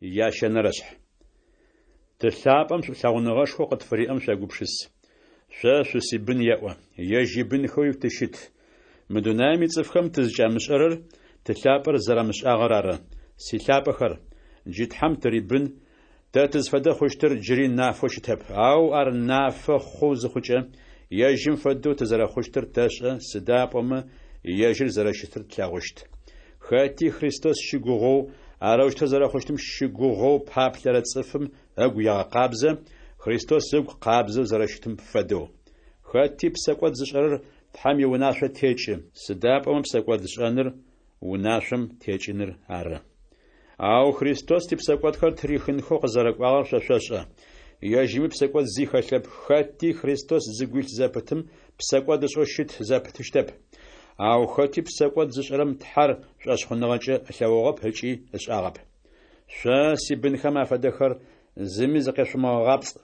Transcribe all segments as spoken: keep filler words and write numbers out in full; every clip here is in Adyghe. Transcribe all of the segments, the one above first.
Ящэнэрэшъхь. Ты лъапӏэм шӏулъэгъуныгъэшхоу къытфыриӏэм шъуегупшыс. Шъо шъусибын еӏо, ежь ибынхэуи тыщыт. Мы дунаим ицӏыфхэм тызкӏамышӏэрэр Ты лъапӏэр зэрамышӏагъэр ары. Силъапӏэхэр, джы Тхьэм тырибын, тэ тызфэдэ хъущтыр джыри нафэу щытэп, ау ар нафэ хъу зыхъукӏэ, ежьым фэдэу тызэрэхъущтыр тэшӏэ, сыда пӏомэ ежьыр зэрэщытыр тлъэгъущт. Хэти Христос щыгугъэу, арэущтэу зэрэхъущтым щыгугъэу паплъэрэ цӏыфым ыгу егъэкъабзэ, Христос ыгу къабзэу зэрэщытым фэдэу. Хэти псэкӏод зышӏэрэр Тхьэм иунашъо текӏы, сыда пӏомэ псэкӏодшӏэныр унашъом текӏыныр ары. Ау Христос типсэкӏодхэр ттырихынхэу къызэрэкӏуагъэр шъо шъошӏэ. Ежьыми псэкӏод зи хэлъэп. Хэти Христос зыгу илъ зэпытым псэкӏод ышӏэу щыт зэпытыщтэп. Ау хэти псэкӏод зышӏэрэм Тхьэр шӏошъхъуныгъэкӏэ ылъэгъугъэп ыкӏи ышӏагъэп. Шъо, сибынхэм афэдэхэр, зыми зыкъешъумыгъэгъапцӏ.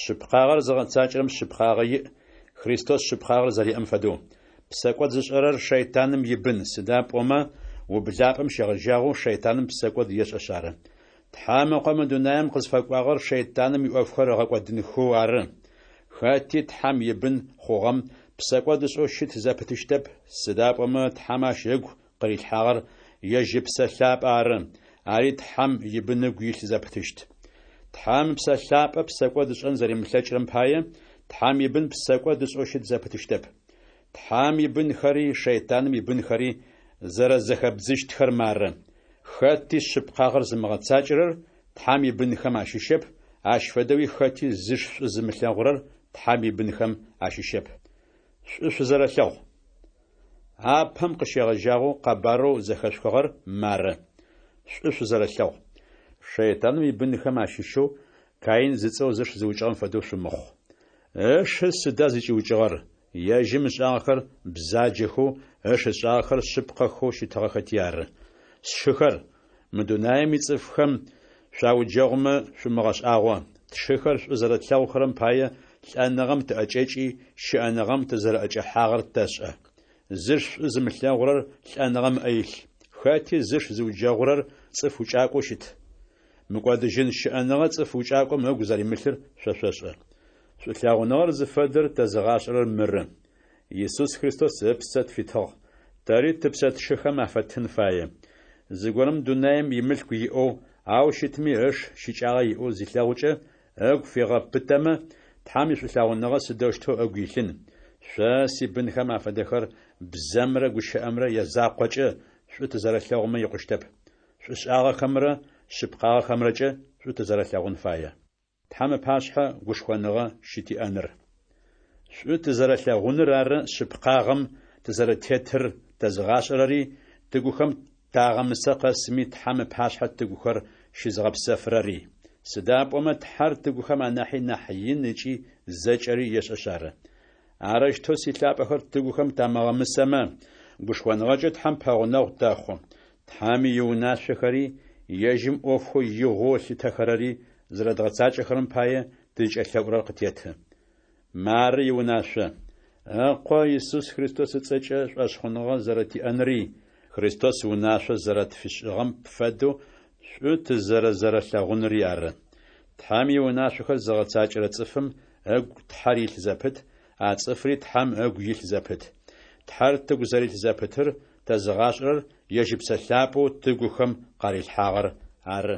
Шъыпкъагъэр зыгъэцакӏэрэм шъыпкъагъэ иӏ, Христос шъыпкъагъэр зэриӏэм фэдэу. Псэкӏод зышӏэрэр шэйтаным ибын, сыда пӏомэ ублапӏэм щегъэжьагъэу шэйтаным псэкӏод ешӏэшъ ары. Тхьэм Ыкъо мы дунаим къызфэкӏуагъэр шэйтаным иӏофхэр ыгъэкӏодынхэу ары. Хэти Тхьэм ибын хъугъэм псэкӏод ышӏэу щыт зэпытыщтэп, сыда пӏомэ Тхьэм ащ ыгу къырилъхьагъэр ежь Ыпсэ Лъапӏэ ары, ари Тхьэм ибын ыгу илъ зэпытыщт. Тхьэм Ыпсэ Лъапӏэ псэкӏод ышӏэн зэримылъэкӏырэм пае, Тхьэм ибын псэкӏод ышӏэу щыт зэпытыщтэп. Тхьэм ибынхэри шэйтаным ибынхэри зэрэзэхэбдзыщтхэр мары: хэти шъыпкъагъэр зымыгъэцакӏэрэр Тхьэм ибынхэм ащыщэп, ащ фэдэуи хэти зыш шӏу зымылъэгъурэр Тхьэм ибынхэм ащыщэп. Шӏу шъузэрэлъэгъу. Апэм къыщегъэжьагъэу къэбарэу зэхэшъухыгъэр мары: шӏу шъузэрэлъэгъу. Шэйтаным ибынхэм ащыщэу Каин зыцӏэу зыш зыукӏыгъэм фэдэу шъумыхъу. Ышы сыда зыкӏиукӏыгъэр? Ежьым ышӏагъэхэр бзаджэхэу, ыш ышӏагъэхэр шъыпкъэхэу щытыгъэхэти ары. Сшыхэр, мы дунаим ицӏыфхэм шъуауджэгъумэ шъумыгъэшӏагъо. Тшыхэр шӏу зэрэтлъэгъухэрэм пае лӏэныгъэм тыӏэкӏэкӏи, щыӏэныгъэм тызэрэӏэкӏэхьагъэр тэшӏэ. Зыш шӏу зымылъэгъурэр лӏэныгъэм ыӏэ илъ. Хэти зыш зыуджэгъурэр цӏыф укӏакӏоу щыт. Мыкӏодыжьын щыӏэныгъэ цӏыф укӏакӏом ыгу зэримылъыр шъо шъошӏэ. Шӏулъэгъуныгъэр зыфэдэр тэзыгъашӏэрэр мыры: Исус Христос ыпсэ тфитыгъ, тэри тыпсэ тшыхэм афэттын фае. Зыгорэм дунаим имылъку иӏэу, ау щытми ыш щыкӏагъэ иӏэу зилъэгъукӏэ, ыгу фигъэпытэмэ, Тхьэм ишӏулъэгъуныгъэ сыдэущтэу ыгу илъын? Шъо, сибынхэм афэдэхэр, бзэмрэ гущыӏэмрэ язакъокӏэ шӏу тызэрэлъэгъумэ икъущтэп. Шӏушӏагъэхэмрэ шъыпкъагъэхэмрэкӏэ шӏу тызэрэлъэгъун фае. Тхьэм ыпашъхьэ гушхоныгъэ щытиӏэныр. Шӏу тызэрэлъэгъуныр ары шъыпкъагъэм тызэрэтетыр тэзыгъашӏэрэри, тыгухэм тагъэмысэ къэсми Тхьэм ыпашъхьэ тыгухэр щызыгъэпсэфырэри. Сыда пӏомэ Тхьэр тыгухэм анахьи нахь ин ыкӏи зэкӏэри ешӏэшъ ары. Арэущтэу, силъапӏэхэр, тыгухэм тамыгъэмысэмэ, гушхоныгъэкӏэ Тхьэм пэгъунэгъу тэхъу. Тхьэм иунашъохэри, ежьым ӏофхэу игъоу ылъытэхэрэри зэрэдгъэцакӏэхэрэм пае тызкӏэлъэӏурэр къытеты. Мары иунашъо: Ыкъо Исус Христос ыцӏэкӏэ шӏошъхъуныгъэ зэрэтиӏэнри, Христос унашъо зэрэтфишӏыгъэм фэдэу шӏу тызэрэзэрэлъэгъунри ары. Тхьэм иунашъохэр зыгъэцакӏэрэ цӏыфым ыгу Тхьэр илъ зэпыт, а цӏыфри Тхьэм ыгу илъ зэпыт. Тхьэр тыгу зэрилъ зэпытыр тэзыгъашӏэрэр ежь Ыпсэ Лъапӏэу тыгухэм къарилъхьагъэр ары.